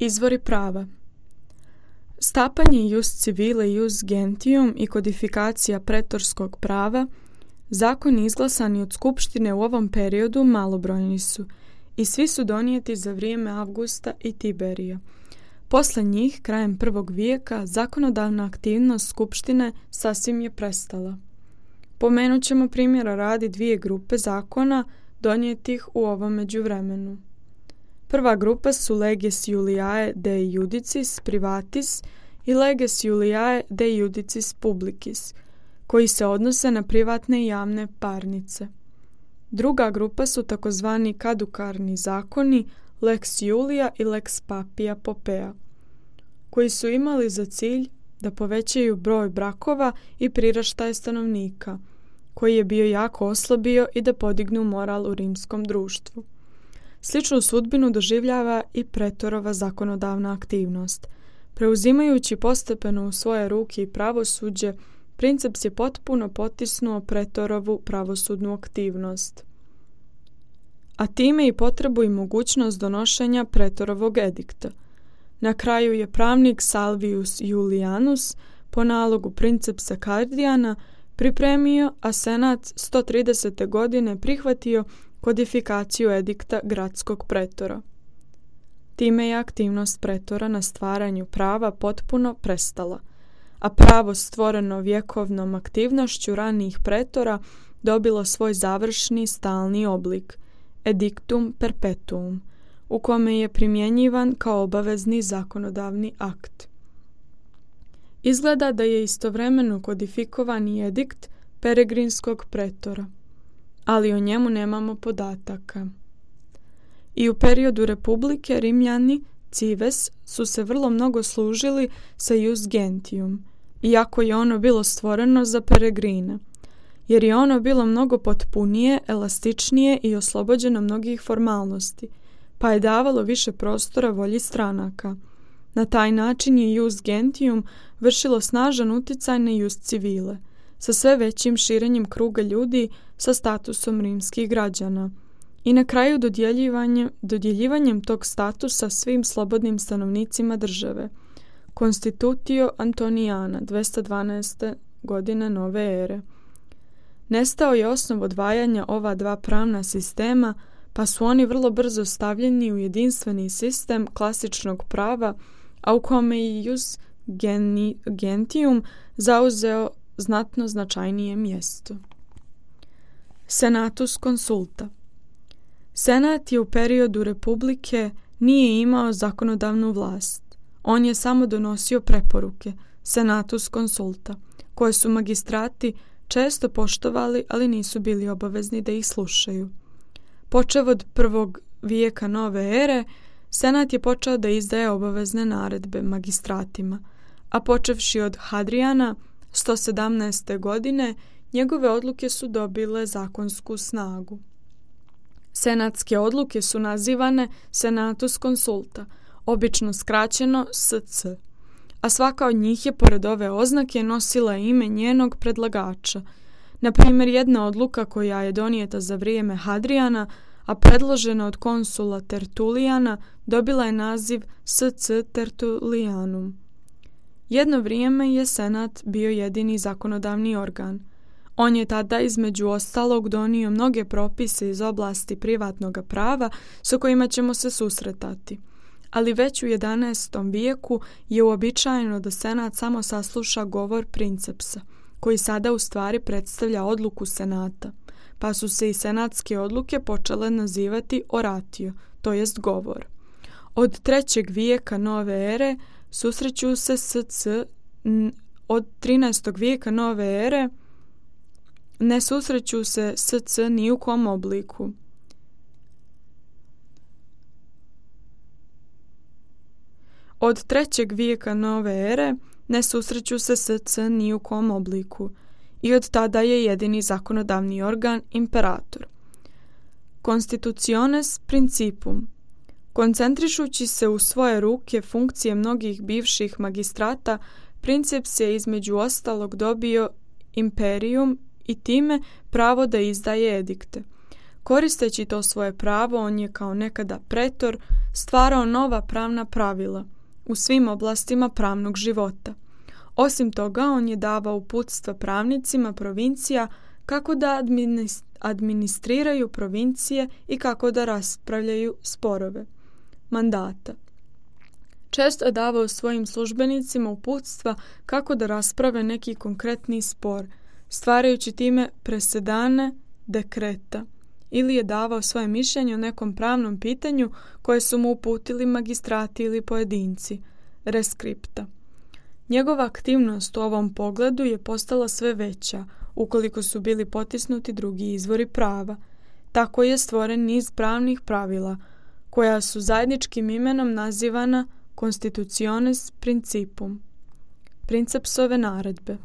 Izvori prava. Stapanje ius civile ius gentium i kodifikacija pretorskog prava, zakoni izglasani od skupštine u ovom periodu malobrojni su i svi su donijeti za vrijeme Avgusta i Tiberija. Posle njih, krajem 1. vijeka, zakonodavna aktivnost skupštine sasvim je prestala. Pomenut ćemo primjera radi 2 grupe zakona donijetih u ovom međuvremenu. Prva grupa su leges Juliae de iudicis privatis i leges Juliae de iudicis publicis, koji se odnose na privatne i javne parnice. Druga grupa su takozvani kadukarni zakoni lex Julia i lex Papia Popea, koji su imali za cilj da povećaju broj brakova i priraštaj stanovnika, koji je bio jako oslabio, i da podignu moral u rimskom društvu. Sličnu sudbinu doživljava i pretorova zakonodavna aktivnost. Preuzimajući postepeno u svoje ruke i pravosuđe, princeps je potpuno potisnuo pretorovu pravosudnu aktivnost, a time i potrebu i mogućnost donošenja pretorovog edikta. Na kraju je pravnik Salvius Julianus po nalogu princepsa Kardijana pripremio, a senat 130. godine prihvatio kodifikaciju edikta gradskog pretora. Time je aktivnost pretora na stvaranju prava potpuno prestala, a pravo stvoreno vjekovnom aktivnošću ranijih pretora dobilo svoj završni stalni oblik, edictum perpetuum, u kome je primjenjivan kao obavezni zakonodavni akt. Izgleda da je istovremeno kodifikovan i edikt peregrinskog pretora, ali o njemu nemamo podataka. I u periodu republike Rimljani, cives, su se vrlo mnogo služili sa ius gentium, iako je ono bilo stvoreno za peregrine, jer je ono bilo mnogo potpunije, elastičnije i oslobođeno mnogih formalnosti, pa je davalo više prostora volji stranaka. Na taj način je ius gentium vršilo snažan utjecaj na ius civile, sa sve većim širenjem kruga ljudi sa statusom rimskih građana i na kraju dodjeljivanjem tog statusa svim slobodnim stanovnicima države. Constitutio Antonijana 212. godine nove ere. Nestao je osnov odvajanja ova dva pravna sistema, pa su oni vrlo brzo stavljeni u jedinstveni sistem klasičnog prava, a u kome je ius gentium zauzeo znatno značajnije mjesto. Senatus consulta. Senat je u periodu republike nije imao zakonodavnu vlast. On je samo donosio preporuke, senatus consulta, koje su magistrati često poštovali, ali nisu bili obavezni da ih slušaju. Počev od 1. vijeka nove ere, senat je počeo da izdaje obavezne naredbe magistratima, a počevši od Hadrijana 117. godine, njegove odluke su dobile zakonsku snagu. Senatske odluke su nazivane senatus consulta, obično skraćeno SC, a svaka od njih je pored ove oznake nosila ime njenog predlagača. Na primjer, jedna odluka koja je donijeta za vrijeme Hadrijana, a predložena od konsula Tertulijana, dobila je naziv SC Tertulianum. Jedno vrijeme je senat bio jedini zakonodavni organ. On je tada između ostalog donio mnoge propise iz oblasti privatnog prava sa kojima ćemo se susretati. Ali već u 11. vijeku je uobičajeno da senat samo sasluša govor princepsa, koji sada u stvari predstavlja odluku senata, pa su se i senatske odluke počele nazivati oratio, to jest govor. Od 3. vijeka nove ere susreću se od 13. vijeka nove ere ne susreću se SC ni u kom obliku. Od 3. vijeka nove ere ne susreću se SC ni u kom obliku i od tada je jedini zakonodavni organ imperator. Constitutiones principum. Koncentrišući se u svoje ruke funkcije mnogih bivših magistrata, princeps je između ostalog dobio imperium i time pravo da izdaje edikte. Koristeći to svoje pravo, on je kao nekada pretor stvarao nova pravna pravila u svim oblastima pravnog života. Osim toga, on je davao uputstva pravnicima provincija kako da administriraju provincije i kako da raspravljaju sporove. Mandata. Često je davao svojim službenicima uputstva kako da rasprave neki konkretni spor, stvarajući time presedane dekreta, ili je davao svoje mišljenje o nekom pravnom pitanju koje su mu uputili magistrati ili pojedinci, reskripta. Njegova aktivnost u ovom pogledu je postala sve veća ukoliko su bili potisnuti drugi izvori prava. Tako je stvoren niz pravnih pravila koja su zajedničkim imenom nazivana Constitutiones Principum, Princepsove naredbe.